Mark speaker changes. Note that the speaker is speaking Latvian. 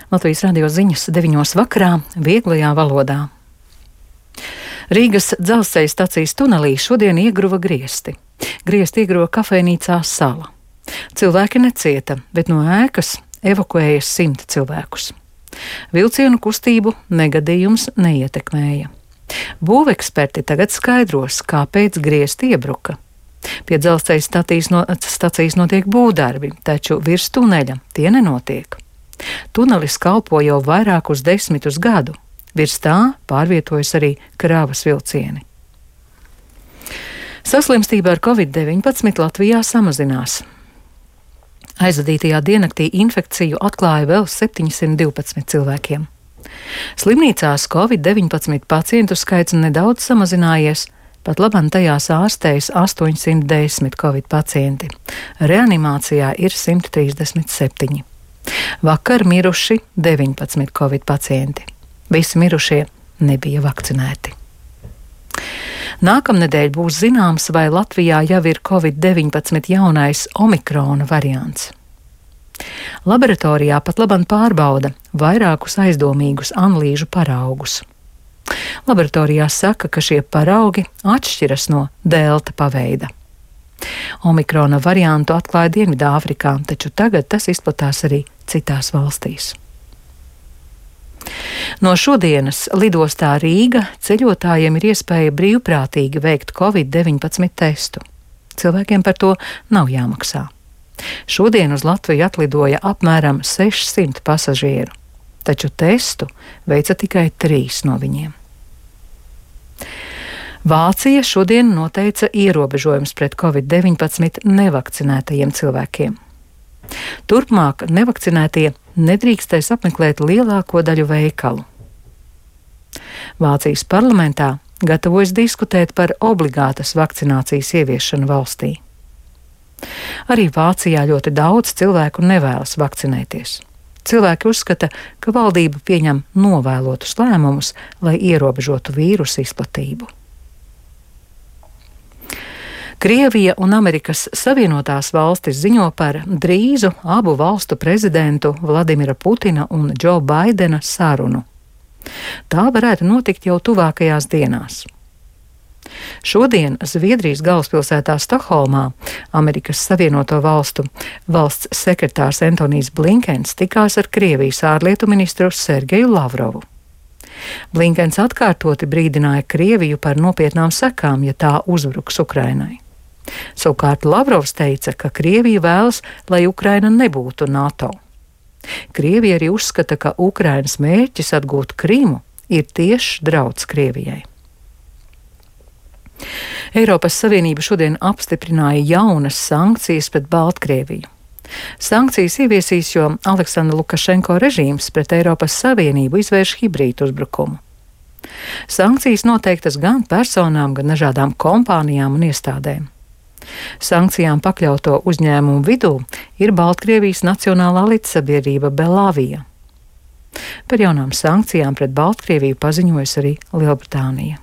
Speaker 1: Latvijas radio ziņas 9 vakarā vieglajā valodā. Rīgas dzelzceļa stacijas tunelī šodien iegruva griesti. Griesti iegruva kafejnīcā Sala. Cilvēki necieta, bet no ēkas evakuēja 100 cilvēkus. Vilcienu kustību negadījums neietekmēja. Būveksperti tagad skaidros, kāpēc griesti iebruka. Pie dzelzceļa stacijas notiek būvdarbi, taču virs tuneļa tie nenotiek. Tunelis kalpo jau vairākus 10 gadu. Virs tā pārvietojas arī kravas vilcieni. Saslimstība ar Covid-19 Latvijā samazinās. Aizvadītajā diennaktī infekciju atklāja vēl 712 cilvēkiem. Slimnīcās Covid-19 pacientu skaits nedaudz samazinājies, pat labam tajās ārstējas 810 Covid pacienti. Reanimācijā ir 137. Vakar miruši 19 Covid pacienti. Visi mirušie nebija vakcinēti. Nākamnedēļ būs zināms, vai Latvijā jau ir Covid-19 jaunais omikrona variants. Laboratorijā pat labam pārbauda vairākus aizdomīgus analīžu paraugus. Laboratorijā saka, ka šie paraugi atšķiras no delta paveida. Omikrona variantu atklāja Dienvidāfrikā, taču tagad tas izplatās arī citās valstīs. No šodienas lidostā Rīga ceļotājiem ir iespēja brīvprātīgi veikt Covid-19 testu. Cilvēkiem par to nav jāmaksā. Šodien uz Latviju atlidoja apmēram 600 pasažieru, taču testu veica tikai 3 no viņiem. Vācija šodien noteica ierobežojumus pret Covid-19 nevakcinētajiem cilvēkiem. Turpmāk nevakcinētie nedrīkstēs apmeklēt lielāko daļu veikalu. Vācijas parlamentā gatavojas diskutēt par obligātas vakcinācijas ieviešanu valstī. Arī Vācijā ļoti daudz cilvēku nevēlas vakcinēties. Cilvēki uzskata, ka valdība pieņem novēlotus lēmumus, lai ierobežotu vīrusu izplatību. Krievija un Amerikas Savienotās valstis ziņo par drīzu abu valstu prezidentu Vladimira Putina un Džo Baidena sarunu. Tā varētu notikt jau tuvākajās dienās. Šodien Zviedrijas galvaspilsētā Stokholmā Amerikas Savienoto valstu valsts sekretārs Antonijs Blinkens tikās ar Krievijas ārlietu ministru Sergeju Lavrovu. Blinkens atkārtoti brīdināja Krieviju par nopietnām sekām, ja tā uzbruks Ukrainai. Savukārt Lavrovs teica, ka Krievija vēlas, lai Ukraina nebūtu NATO. Krievija arī uzskata, ka Ukrainas mērķis atgūt Krimu ir tiešs drauds Krievijai. Eiropas Savienība šodien apstiprināja jaunas sankcijas pret Baltkrieviju. Sankcijas ieviesīs, jo Aleksandra Lukašenko režīms pret Eiropas Savienību izvērš hibrīdu uzbrukumu. Sankcijas noteiktas gan personām, gan dažādām kompānijām un iestādēm. Sankcijām pakļauto uzņēmumu vidū ir Baltkrievijas Nacionālā līdzsabiedrība Belavija. Par jaunām sankcijām pret Baltkrieviju paziņojas arī Lielbritānija.